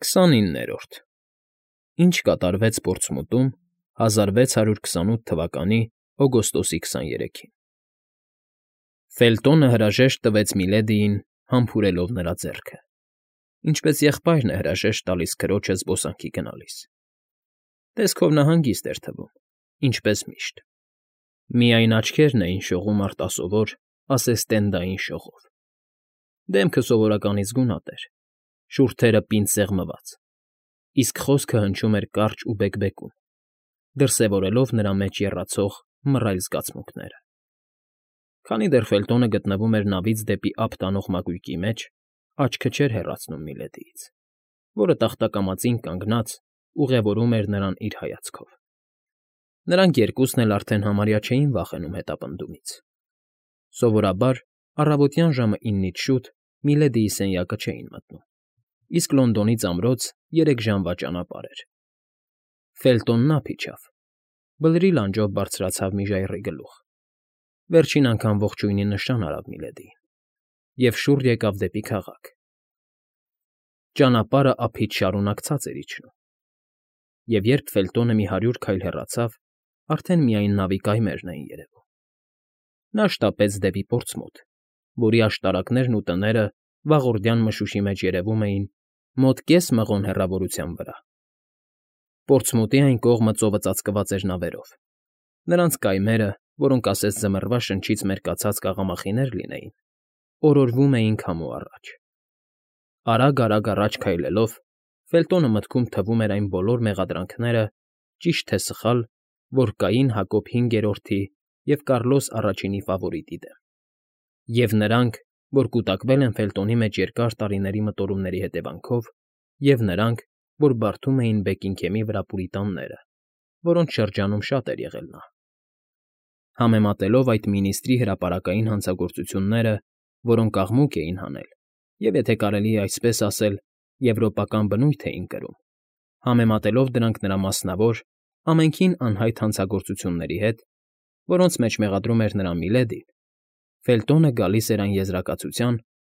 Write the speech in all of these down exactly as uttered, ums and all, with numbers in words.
Քսանիններորդ Ինչ կատարվեց Պորտսմութում հազար վեց հարյուր քսանութ թվականի օգոստոսի քսաներեքին Ֆելտոնը հրաժեշտ տվեց Միլեդիին, համբուրելով նրա ձեռքը, ինչպես եղբայրն է հրաժեշտ տալիս քրոջը զբոսանքի գնալիս. տեսքով նա հանգիստ էր թվում, ինչպես միշտ, միայն աչքերն էին շողում արտասովոր, ասեստենդային շողով, դեմքը սովորականից գունատ էր, շուրթերը պինդ սեղմված, իսկ խոսքը հնչում էր կարճ ու բեկբեկում, դրսևորելով նրա մեջ եռացող մռայլ զգացմունքները։ Քանի դեռ Ֆելտոնը գտնվում էր նավից դեպի ափ տանող մակույկի մեջ, աչքը չէր հեռացնում Միլեդիից, որը տախտակամածին կանգնած ուղևորում էր նրան իր հայացքով։ Նրանք երկուսն էլ արդեն համարյա չէին վախենում հետապնդումից։ Սովորաբար առավոտյան ժամը իննից շուտ Միլեդիի սենյակը չէին մտնում, իսկ Լոնդոնից ամրոց երեք ժամվա ճանապարհ էր։ Ֆելտոնն ափ իջավ, բլրի լանջով բարձրացավ մի ժայռի գլուխ, վերջին անգամ ողջույնի նշան արավ Միլեդիին և շուռ եկավ դեպի քաղաք։ Ճանապարհը ափից շարունակ ցած էր իջնում, և երբ Ֆելտոնը մի հարյուր քայլ հեռացավ, արդեն միայն նավի կայմերն էին երևում։ Նա շտապեց դեպի Պորտսմութ, որի աշտարակներն ու տները վաղորդյան մշուշի մեջ երևում էին մոտ կես մղոն հեռավորության վրա։ Պորտսմութի այն կողմը ծովը ծածկված էր նավերով։ Նրանց կայմերը, որոնք ասես ձմռվա շնչից մերկացած կաղամախիներ լինեին, օրորվում էին քամու առաջ։ Արագ֊արագ առաջ քայլելով՝ Ֆելտոնը մտքում թվում էր այն բոլոր մեղադրանքները, ճիշտ թե սխալ, որ կային Հակոբ հինգերորդի և Կառլոս առաջինի ֆավորիտի դեմ, և նրանք, որ կուտակվել են Ֆելտոնի մեջ երկար տարիների մտորումների հետևանքով, և նրանք, որ բարդում էին Բեկինգհեմի վրա պուրիտանները, որոնց շրջանում շատ էր եղել նա։ Համեմատելով այդ մինիստրի հրապարակային հանցագործությունները, որոնք աղմուկ էին հանել և, եթե կարելի է այսպես ասել, եվրոպական բնույթ էին կրում, համեմատելով դրանք նրա մասնավոր, ամենքին անհայտ հանցագործությունների հետ, որոնց մեջ մեղադրում էր նրա Միլեդին, Ֆելտոնը գալիս էր այն եզրակացության,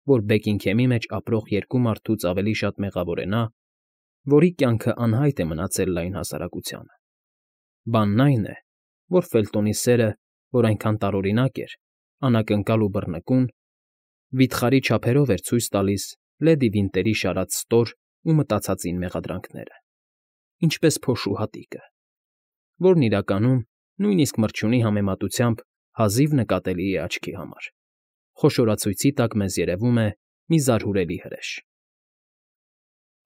որ Բեկինգհեմի մեջ ապրող երկու մարդուց ավելի շատ մեղավոր է նա, որի կյանքը անհայտ է մնացել լայն հասարակությանը։ Բանն այն է, որ Ֆելտոնի սերը, որ այնքան տարօրինակ էր, անակնկալ ու բռնկուն, վիթխարի չափերով էր ցույց տալիս լեդի Վինտերի շարած ստոր ու մտածածին մեղադրանքները, ինչպես փոշու հատիկը, որն իրականում, նույնիսկ մրջյունի համեմատությամբ հազիվ նկատելի է աչքի համար, խոշորացույցի տակ մեզ երևում է մի զարհուրելի հրեշ։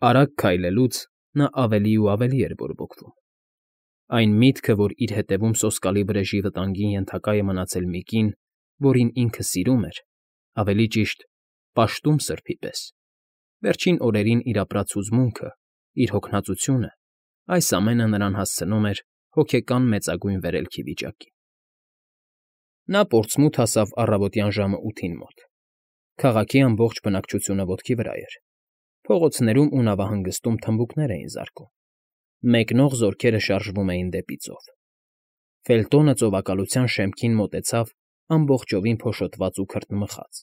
Արագ քայլելուց նա ավելի ու ավելի էր բորբոքվում։ Այն միտքը, որ իր հետևում սոսկալի վրեժի վտանգին ենթակա է մնացել մի կին, որին ինքը սիրում էր, ավելի ճիշտ, պաշտում սրբի պես, վերջին օրերին իր ապրած հուզմունքը, իր հոգնածությունը, այս ամենը նրան հասցնում էր հոգեկան մեծագույն վերելքի վիճակի։ Նա Պորտսմութ հասավ առավոտյան ժամը ութին մոտ։ Քաղաքի ամբողջ բնակչությունը ոտքի վրա էր։ Փողոցներում ու նավահանգստում թմբուկներ էին զարկում։ Մեկնող զորքերը շարժվում էին դեպի ծով։ Ֆելտոնը ծովակալության շեմքին մոտեցավ ամբողջովին փոշոտված ու քրտնմխած։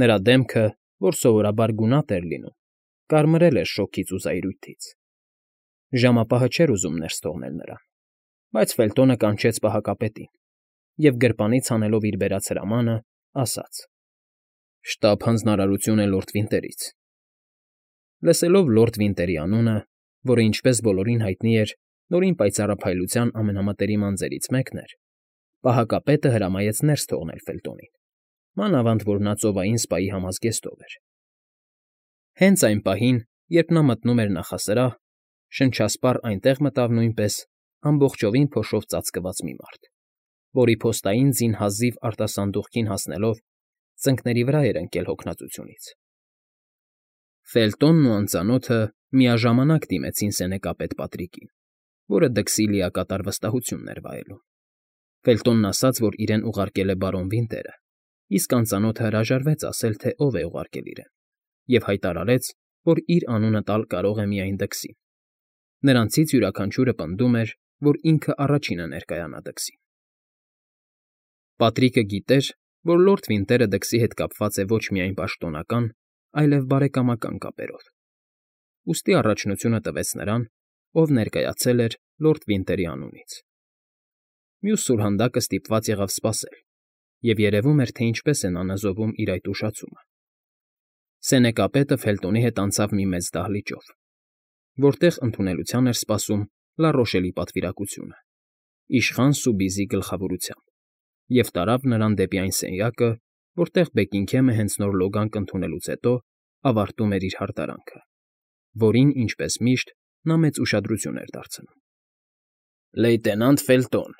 Նրա դեմքը, որ սովորաբար գունատ էր լինում, կարմրել էր շոգից ու զայրույթից։ Ժամապահը չէր ուզում ներս թողնել նրան, բայց Ֆելտոնը կանչեց պահակապետին և, գրպանից հանելով իր բերած հրամանը, ասաց. «Շտապ հանձնարարություն է լորդ Վինտերից»։ Լսելով լորդ Վինտերի անունը, որը, ինչպես բոլորին հայտնի էր, Նորին պայծառափայլության ամենամտերիմ անձերից մեկն էր, պահակապետը հրամայեց ներս թողնել Ֆելտոնին, մանավանդ որ նա ծովային սպայի համազգեստով էր։ Հենց այն պահին, երբ նա մտնում էր նախասրահ, շնչասպառ այնտեղ մտավ նույնպես ամբողջովին փոշով ծածկված մի մարդ, որի փոստային ձին հազիվ արտասանդուղքին հասնելով ծնկների վրա էր ընկել հոգնածությունից։ Ֆելտոնն ու անծանոթը միաժամանակ դիմեցին սենեկապետ Պատրիկին, որը դքսի լիակատար վստահությունն էր վայելում։ Ֆելտոնն ասաց, որ իրեն ուղարկել է բարոն Վինտերը, իսկ անծանոթը հրաժարվեց ասել, թե ով է ուղարկել իրեն, և հայտարարեց, որ իր անունը տալ կարող է միայն դքսին։ Նրանցից յուրաքանչյուրը պնդում էր, որ ինքը առաջինը ներկայանա դքսին։ Պատրիկը գիտեր, որ լորդ Վինտերը դքսի հետ կապված է ոչ միայն պաշտոնական, այլև բարեկամական կապերով։ ուստի առաջնությունը տվեց նրան, ով ներկայացել էր լորդ Վինտերի անունից։ Մյուս սուրհանդակը ստիպված եղավ սպասել, և երևում էր, թե ինչպես է նա նզովում իր այդ ուշացումը։ Սենեկապետը Ֆելտոնի հետ անցավ մի մեծ դահլիճով, որտեղ ընդունելության էր սպասում Լա Ռոշելի պատվիրակությունը, իշխան Սուբիզի գլխավորությամբ, և տարավ նրան դեպի այն սենյակը, որտեղ Բեքինգհեմը հենց նոր լոգանք ընդունելուց հետո ավարտում էր իր հարդարանքը, որին, ինչպես միշտ, նա մեծ ուշադրություն էր դարձնում։ ֊ Լեյտենանտ Ֆելտոն,֊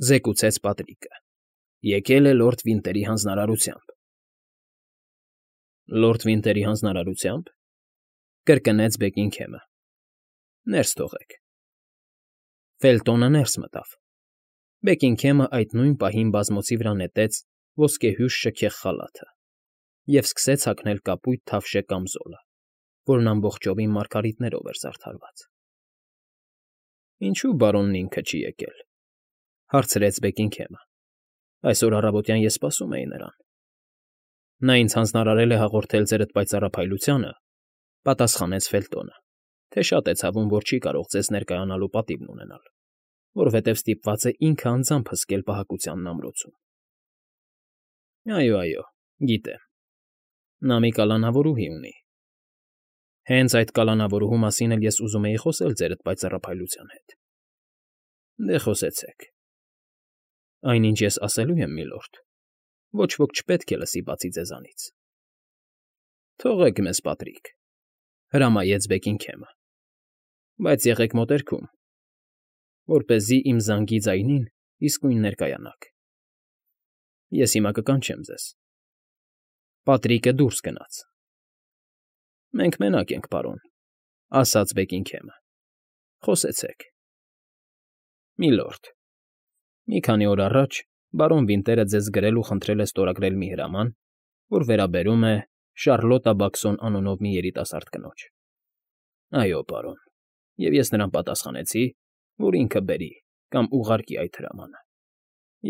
զեկուցեց Պատրիկը,֊ եկել է լորդ Վինտերի հանձնարարությամբ։ ֊ Լորդ Վինտերի հանձնարարությա՞մբ,֊ կրկնեց Բեքինգհեմը։ Ներս թողեք։ Ֆելտոնը ներս մտավ։ Բեքինգհեմը այդ նույն պահին բազմոցի վրա նետեց ոսկեհյուր շքեղ խալաթը և սկսեց հագնել կապույտ թավշե կամզոլը, որն ամբողջովին մարգարիտներով էր զարդարված։ ֊ Ինչո՞ւ բարոնն ինքը չի եկել,֊ հարցրեց Բեքինգհեմը։ Այսօր առավոտյան ես սպասում էի նրան։ ֊ Նա ինձ հանձնարարել է հաղորդել ձերդ պայծառափայլությանը,֊ պատասխանեց Ֆելտոնը,֊ թե շատ է ցավում, որ չի կարող ձեզ ներկայանալու պատիվն ունենալ, որովհետև ստիպված է ինքը անձամբ հսկել պահակությանն ամրոցում։ ֊ Այո, այո, գիտեմ, նա մի կալանավորուհի ունի։ ֊ Հենց այդ կալանավորուհու մասին էլ ես ուզում էի խոսել ձերդ պայծառափայլության հետ։ ֊ Դե, խոսեցեք։ ֊ Այնինչ ես ասելու եմ, միլորդ, ոչ ոք չպետք է լսի բացի ձեզանից։ ֊ Թողեք մեզ, Պատրիկ,֊ հրամայեց Բեքինգհեմը,֊ բայց եղեք մոտերքում, որպեսզի իմ զանգի ձայնին իսկույն ներկայանաք։ Ես հիմա կկանչեմ ձեզ։ Պատրիկը դուրս գնաց։ ֊ Մենք մենակ ենք, պարոն,֊ ասաց Բեքինգհեմը։ ֊ Խոսեցեք։ ֊ Միլորդ, մի քանի օր առաջ բարոն Վինտերը ձեզ գրել ու խնդրել է ստորագրել մի հրաման, որ վերաբերում է Շարլոտա Բաքսոն անունով մի երիտասարդ կնոջ։ ֊ Այո, պարոն, և ես նրան պատասխանեցի, որ ինքը բերի կամ ուղարկի այդ հրամանը,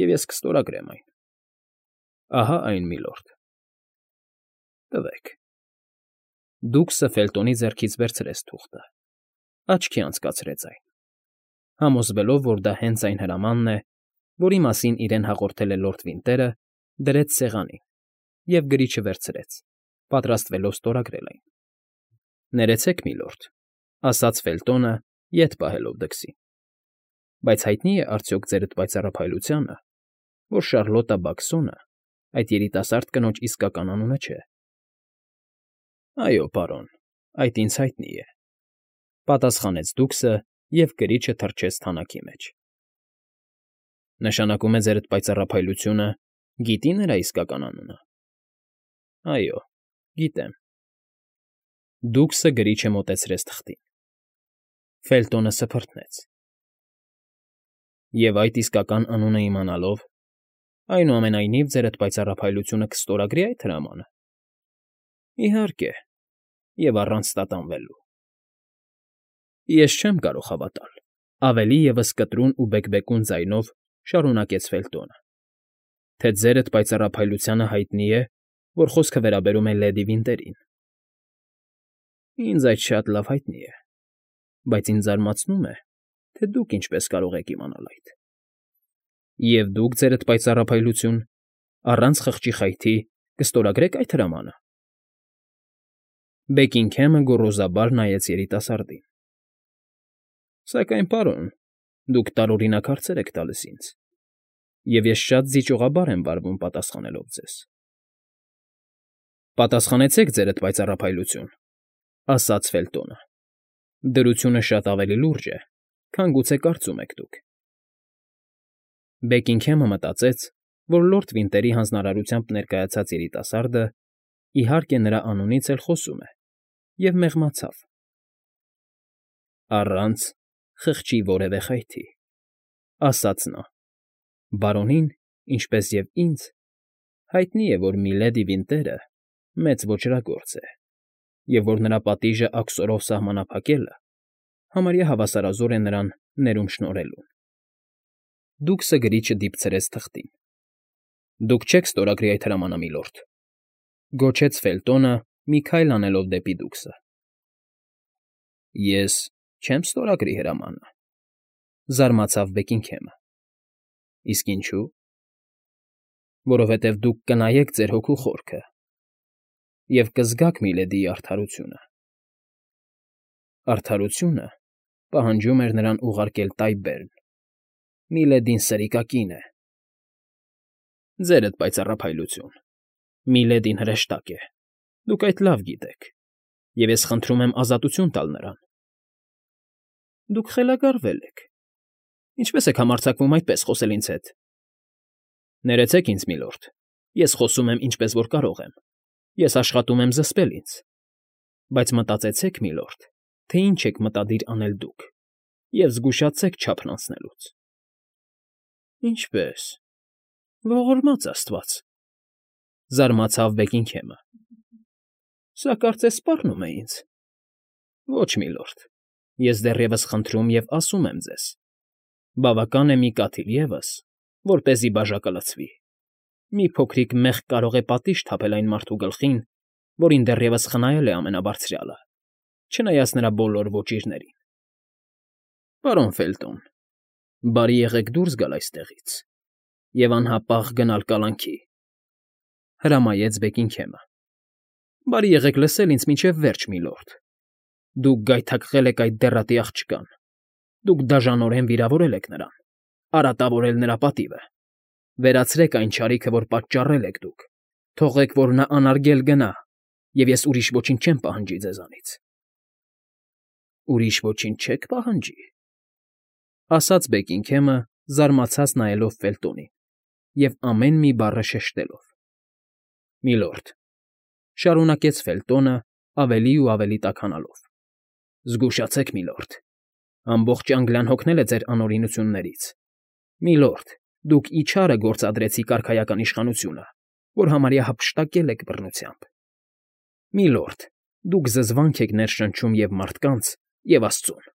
և ես կստորագրեմ այն։ ֊ Ահա այն, միլորդ։ ֊ Տվեք։ Դուքսը Ֆելտոնի ձեռքից վերցրեց թուղթը, աչքի անցկացրեց այն, համոզվելով, որ դա հենց այն հրամանն է, որի մասին իրեն հաղորդել է լորդ Վինտերը, դրեց սեղանին և գրիչը վերցրեց, պատրաստվելով ստորագրել այն։ ֊ Ներեցեք, միլորդ,֊ ասաց Ֆելտոնը, ետ պահելով դքսին,֊ բայց հայտնի է արդյոք ձերդ պայծառափայլությանը, որ Շարլոտա Բաքսոնը այդ երիտասարդ կնոջ իսկական անունը չէ։ ֊ Այո, պարոն, այդ ինձ հայտնի է,֊ պատասխանեց դուքսը և գրիչը թռչեց թանաքի մեջ։ ֊ Նշանակում է ձերդ պայծառափայլությունը գիտի՞ նրա իսկական անունը։ ֊ Այո, գիտեմ։ Դուքսը գրիչը մոտեցրեց թղթին։ Ֆելտոնը սփռտնեց։ ֊ Եվ այդ իսկական անունը իմանալով, այնուամենայնիվ ձերդ պայծառափայլությունը կստորագրի այդ հրամանը։ ֊ Իհարկե, և առանց տատանվելու։ ֊ Ես չեմ կարող հավատալ,֊ ավելի ևս կտրուն ու բեկբեկուն ձայնով շարունակեց Ֆելտոնը,֊ թե ձերդ պայծառափայլությանը հայտնի է, որ խոսքը վերաբերում է լեդի Վինտերին։ ֊ Ինձ այդ շատ լավ հայտնի է, բայց ինձ զարմացնում է, թե դուք ինչպես կարող եք իմանալ այդ։ ֊ Եվ դուք, ձերդ պայծառափայլություն, առանց խղճի խայթի կստորագրեք այդ հրամանը։ Բեքինգհեմը գոռոզաբար նայեց երիտասարդին։ ֊ Սակայն, պարոն, դուք տարօրինակ հարցեր եք տալիս ինձ, և ես շատ զիջողաբար եմ վարվում պատասխանելով ձեզ։ ֊ Պատասխանեցեք, ձերդ պայծառափայլություն,֊ ասաց Ֆելտոնը,֊ դրությունը շատ ավելի լուրջ է, քան գուցե կարծում եք դուք։ Բեքինգհեմը մտածեց, որ լորդ Վինտերի հանձնարարությամբ ներկայացած երիտասարդը, իհարկե, նրա անունից էլ խոսում է, և մեղմացավ։ ֊ Առանց խղճի որևէ խայթի,֊ ասաց նա,֊ բարոնին, ինչպես և ինձ, հայտնի է, որ միլեդի Վինտերը մեծ ոճրագործ է և որ նրա պատիժը աքսորով սահմանափակելը համարյա հավասարազոր է նրան ներում շնորհելուն։ Դուքսը գրիչը դիպցրեց թղթին։ ֊ Դուք չեք ստորագրի այդ հրամանը, միլորդ,֊ գոչեց Ֆելտոնը, մի քայլ անելով դեպի դուքսը։ Ես չեմ ստորագրի հրամանը,֊ զարմացավ Բեքինգհեմը։ Իսկ ինչու՞։ Որովհետև դուք կնայեք ձեր հոգու խորքը և կզգաք Միլեդիի արդարությունը։ Արդարությունը պահանջում էր նրան ուղարկել Տայբերն, Միլեդին սրիկակին է։ Ձերդ պայծառափայլություն, Միլեդին հրեշտակ է, դուք այդ լավ գիտեք, և ես խնդրում եմ ազատություն տալ նրան։ Դուք խելագարվել եք, ինչպե՞ս եք համարձակվում այդպես խոսել ինձ հետ։ Ներեցեք ինձ, միլորդ, ես խոսում եմ ինչպես որ կարող եմ, ես աշխատում եմ զսպել ինձ, բայց մտածեցեք, միլորդ, թե ինչ եք մտադիր անել դուք, և զգուշացեք չափն անցնելուց։ Ինչպե՞ս, ողորմած աստված,֊ զարմացավ Բեքինգհեմը։ Սա կարծես սպառնում է ինձ։ Ոչ, միլորդ, ես դեռևս խնդրում և ասում եմ ձեզ. բավական է մի կաթիլ ևս, որպեսզի բաժակը լցվի։ Մի փոքրիկ մեղք կարող է պատիժ թափել այն մարդու գլխին, որին դեռևս խնայել է Ամենաբարձրյալը, չնայած նրա բոլոր ոճիրներին։ Պարոն Ֆելտոն, բարի եղեք դուրս գալ այստեղից և անհապաղ գնալ կալանքի,֊ հրամայեց Բեքինգհեմը։ Բարի եղեք լսել ինձ մինչև վերջ, միլորդ։ Դուք գայթակղել եք այդ դեռատի աղջկան, դուք դաժանորեն վիրավորել եք նրան, արատավորել նրա պատիվը։ Վերացրեք այն չարիքը, որ պատճառել եք դուք, թողեք, որ նա անարգել գնա, և ես ուրիշ ոչինչ չեմ պահանջի ձեզանից։ Ուրիշ ոչինչ չեք պահանջի,֊ ասաց Բեքինգհեմը, զարմացած նայելով Ֆելտոնին և ամեն մի բառը շեշտելով։ Միլորդ,֊ շարունակեց Ֆելտոնը ավելի ու ավելի տաքանալով,֊ զգուշացեք, միլորդ, ամբողջ Անգլիան հոգնել է ձեր անօրենություններից։ Միլորդ, դուք իչարը գործադրեցիք արքայական իշխանությունը, որ համարյա հափշտակել եք բռնությամբ։ Միլորդ, դուք զզվանք եք ներշնչում և մարդկանց, և աստծուն։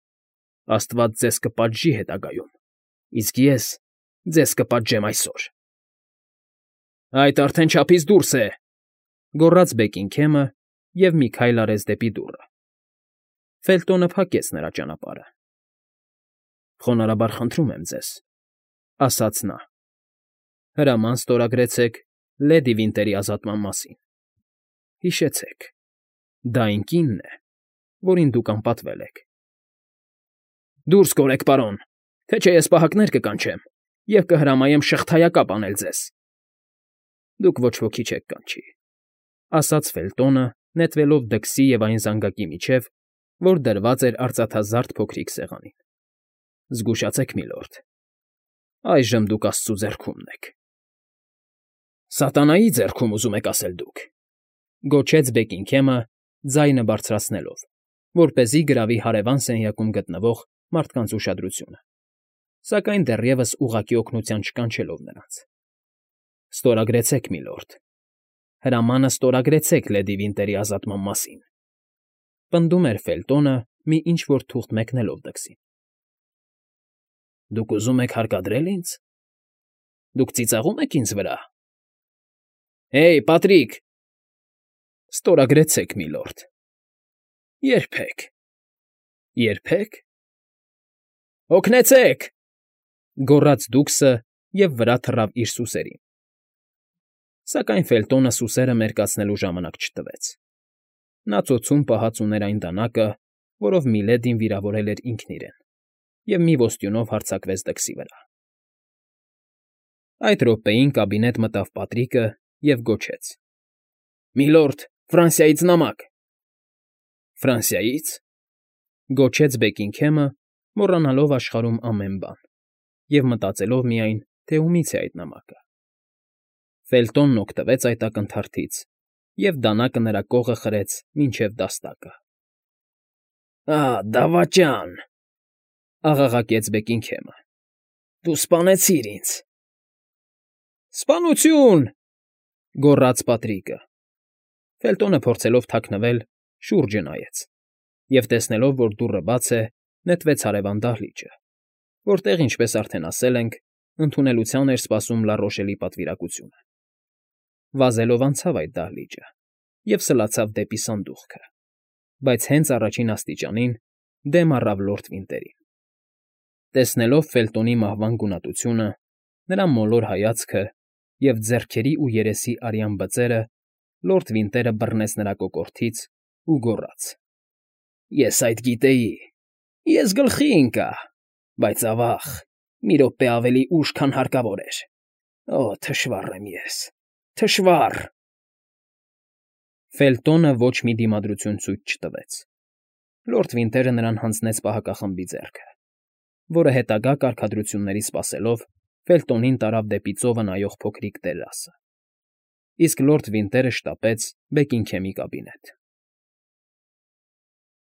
Աստված ձեզ կպատժի հետագայում, իսկ ես ձեզ կպատժեմ այսօր։ Այդ արդեն չափից դուրս է,֊ գոռաց Բեքինգհեմը և մի քայլ արեց դեպի դուռը։ Ֆելտոնը փակեց նրա ճանապարհը։ Խոնարհաբար խնդրում եմ ձեզ,֊ ասաց նա,֊ հրաման ստորագրեցեք լեդի Վինտերի ազատման մասին։ Հիշեցեք, դա այն կինն է, որին դուք անպատվել եք։ Դուրս կորեք, պարոն, թե չէ ես պահակներ կկանչեմ և կհրամայեմ շղթայակապ անել ձեզ։ Դուք ոչ ոքի չեք կանչի,֊ ասաց Ֆելտոնը, նետվելով դքսի և այն զանգակի միջև, որ դրված էր արծաթազարդ փոքրիկ սեղանին։ Զգուշացեք, միլորդ, այժմ դուք աստծու ձեռքումն եք։ Սատանայի ձեռքում, ուզում եք ասել դուք,֊ գոչեց Բեքինգհեմը, ձայնը բարձրացնելով, որպեսզի գրավի հարևան սենյակում գտնվող մարդկանց ուշադրությունը, սակայն դեռևս ուղղակի օգնության չկանչելով նրանց։ Ստորագրեցեք, միլորդ, հրամանը ստորագրեցեք լեդի Վինտերի ազատման մասին,֊ պնդում էր Ֆելտոնը, մի ինչ֊որ թուղթ մեկնելով դքսին։ Դուք ուզում եք հարկադրել ինձ։ Դուք ծիծաղում եք ինձ վրա։ Հեյ, Պատրիկ… Ստորագրեցեք, միլորդ։ Երբեք… Երբեք… Օգնեցե՜ք,֊ գոռաց դուքսը և վրա թռավ իր սուսերին։ Սակայն Ֆելտոնը սուսերը մերկացնելու ժամանակ չտվեց։ Նա ծոցում պահած ուներ այն դանակը, որով Միլեդին վիրավորել էր ինքն իրեն, և մի ոստյունով հարձակվեց դքսի վրա։ Այդ րոպեին կաբինետ մտավ Պատրիկը և գոչեց. Միլորդ, Ֆրանսիայից նամակ։ Ֆրանսիայի՞ց,֊ գոչեց Բեքինգհեմը, մոռանալով աշխարհում ամեն բան, և մտածելով միայն, թե ումից է այդ նամակը։ Ֆելտոնն օգտվեց այդ ակնթարթից և դանակը նրա կողը խրեց մինչև դաստակը։ Ահ, դավաճան,֊ աղաղակեց Բեքինգհեմը,֊ դու սպանեցիր ինձ։ Սպանությո՜ւն,֊ գոռաց Պատրիկը։ Ֆելտոնը փորձելով թաքնվել, շուրջը նայեց և, տեսնելով, որ դուռը բաց է, նետվեց հարևան դահլիճը, որտեղ, ինչպես արդեն ասել ենք, ընդունելության էր սպասում Լառոշելի պատվիրակությունը։ Վազելով անցավ այդ դահլիճը և սլացավ դեպի սանդուղքը, բայց հենց առաջին աստիճանին դեմ առավ լորդ Վինտերին։ Տեսնելով Ֆելտոնի մահվան գունատությունը, նրա մոլոր հայացքը և ձեռքերի ու երեսի արյան բծերը, լորդ Վինտերը բռնեց նրա կոկորդից ու գոռաց. ֊ Ես այդ գիտեի, ես գլխի ընկա, բայց, ավա՜ղ, մի րոպե ավելի ուշ, քան հարկավոր էր… Օ՜, թշվառ եմ ես, թշվառ… Ֆելտոնը ոչ մի դիմադրություն ցույց չտվեց։ Լորդ Վինտերը նրան հանձնեց պահակախմբի ձեռքը, որը հետագա կարգադրությունների սպասելով Ֆելտոնին տարավ դեպի ծովը նայող փոքրիկ տերասը, իսկ լորդ Վինտերը շտապեց Բեքինգհեմի կաբինետ։